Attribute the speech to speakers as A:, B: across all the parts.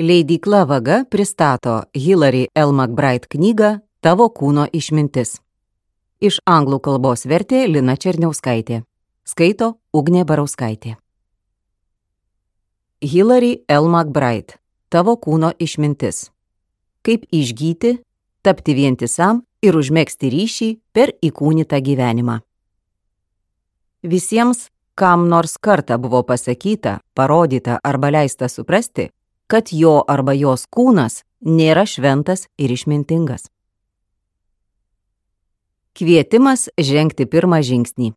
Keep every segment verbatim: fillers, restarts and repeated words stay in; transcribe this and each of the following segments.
A: Leidykla Vaga pristato Hilary L. McBride knygą Tavo kūno išmintis. Iš anglų kalbos vertė Lina Černiauskaitė. Skaito Ugnė Barauskaitė. Hilary L. McBride. Tavo kūno išmintis. Kaip išgyti, tapti vientisam ir užmegzti ryšį per įkūnytą gyvenimą. Visiems, kam nors kartą buvo pasakyta, parodyta arba leista suprasti, kad jo arba jos kūnas nėra šventas ir išmintingas. Kvietimas žengti pirmą žingsnį.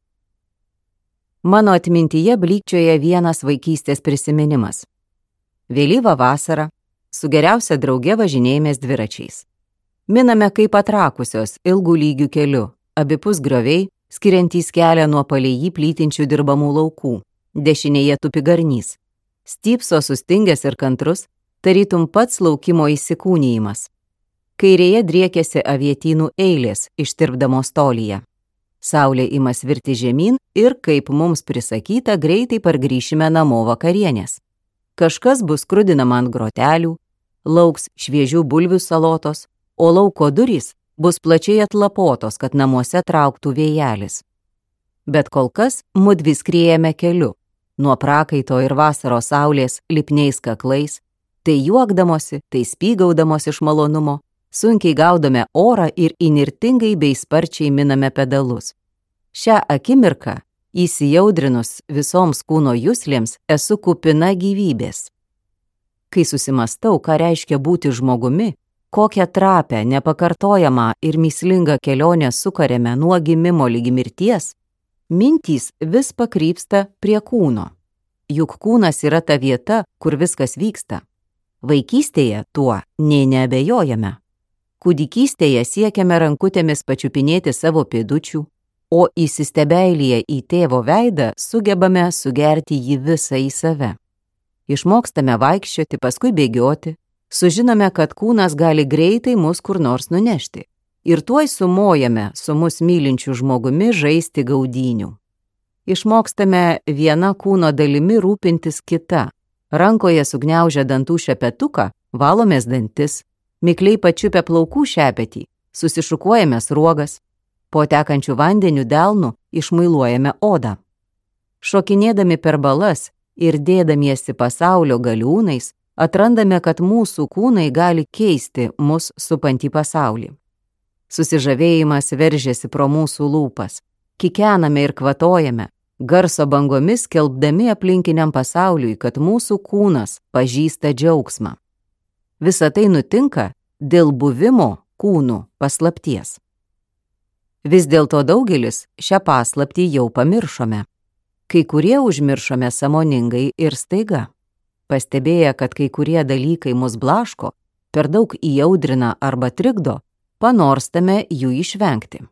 A: Mano atmintyje blykčioja vienas vaikystės prisiminimas. Vėlyvą vasarą su geriausia drauge važinėjomės dviračiais. Miname kaip atrakusios ilgų lygių keliu, abipus grioviai, skiriantys kelią nuo palei jį plytinčių dirbamų laukų. Dešinėje tupi garnys. Stypso sustingęs ir kantrus, tarytum pats laukimo įsikūnijimas. Kairėje driekėsi avietynų eilės, ištirpdamos tolyje. Saulė ima svirti žemyn ir, kaip mums prisakyta, greitai pargrįšime namo vakarienės. Kažkas bus skrudinama ant grotelių, lauks šviežių bulvių salotos, o lauko durys bus plačiai atlapotos, kad namuose trauktų vėjelis. Bet kol kas mudvi skriejame keliu, nuo prakaito ir vasaros saulės lipniais kaklais, tai juokdamosi, tai spygaudamosi iš malonumo, sunkiai gaudome orą ir įnirtingai bei sparčiai miname pedalus. Šią akimirką, įsijaudrinus visoms kūno juslėms, esu kupina gyvybės. Kai susimastau, ką reiškia būti žmogumi, kokią trapę, nepakartojamą ir mįslingą kelionę sukarėme nuo gimimo ligi mirties, mintys vis pakrypsta prie kūno. Juk kūnas yra ta vieta, kur viskas vyksta. Vaikystėje tuo nė neabejojame. Kūdikystėje siekiame rankutėmis pačiupinėti savo pėdučių, o įsistebeilyje į tėvo veidą sugebame sugerti jį visą į save. Išmokstame vaikščioti, paskui bėgioti, sužinome, kad kūnas gali greitai mus kur nors nunešti. Ir tuoj sumojame su mus mylinčiu žmogumi žaisti gaudynių. Išmokstame viena kūno dalimi rūpintis kita. Rankoje sugniaužę dantų šepetuką, valomės dantis, mikliai pačiupę plaukų šepetį, susišukuojame sruogas, po tekančių vandenių delnų išmuiluojame odą. Šokinėdami per balas ir dėdamiesi pasaulio galiūnais, atrandame, kad mūsų kūnai gali keisti mus supantį pasaulį. Susižavėjimas veržiasi pro mūsų lūpas, kikename ir kvatojame, garso bangomis skelbdami aplinkiniam pasauliui, kad mūsų kūnas pažįsta džiaugsmą. Visa tai nutinka dėl buvimo kūnų paslapties. Vis dėlto daugelis šią paslaptį jau pamiršome. Kai kurie užmiršome sąmoningai ir staiga. Pastebėję, kad kai kurie dalykai mus blaško, per daug įaudrina arba trikdo, panorstame jų išvengti.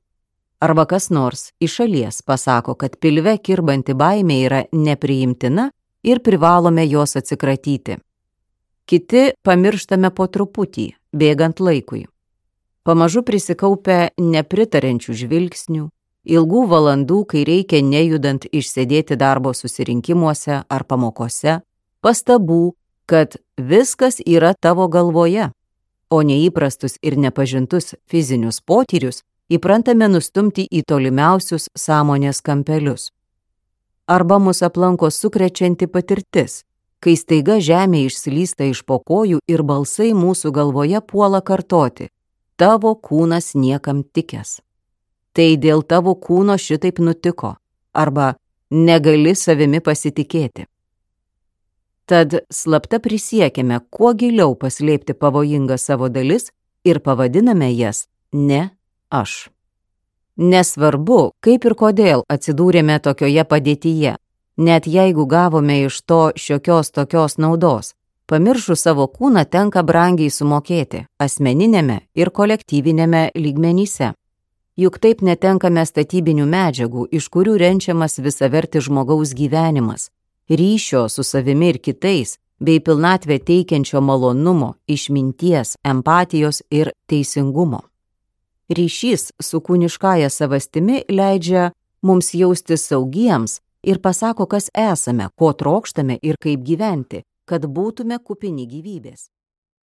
A: Arba kas nors iš šalies pasako, kad pilve kirbanti baimė yra nepriimtina ir privalome jos atsikratyti. Kiti pamirštame po truputį, bėgant laikui. Pamažu prisikaupę nepritarenčių žvilgsnių, ilgų valandų, kai reikia nejudant išsėdėti darbo susirinkimuose ar pamokose, pastabų, kad viskas yra tavo galvoje, o neįprastus ir nepažintus fizinius potyrius įprantame nustumti į tolimiausius sąmonės kampelius. Arba mus aplanko sukrečianti patirtis, kai staiga žemė išslysta iš po kojų ir balsai mūsų galvoje puola kartoti: tavo kūnas niekam tikęs. Tai dėl tavo kūno šitaip nutiko, arba negali savimi pasitikėti. Tad slapta prisiekime kuo giliau paslėpti pavojingas savo dalis ir pavadiname jas ne aš. Nesvarbu, kaip ir kodėl atsidūrėme tokioje padėtyje, net jeigu gavome iš to šiokios tokios naudos, pamiršų savo kūną tenka brangiai sumokėti asmeninėme ir kolektyvinėme lygmenyse. Juk taip netenkame statybinių medžiagų, iš kurių renčiamas visavertis žmogaus gyvenimas, ryšio su savimi ir kitais, bei pilnatvę teikiančio malonumo, išminties, empatijos ir teisingumo. Ryšys su kūniškąja savastimi leidžia mums jaustis saugiems ir pasako, kas esame, ko trokštame ir kaip gyventi, kad būtume kupini gyvybės.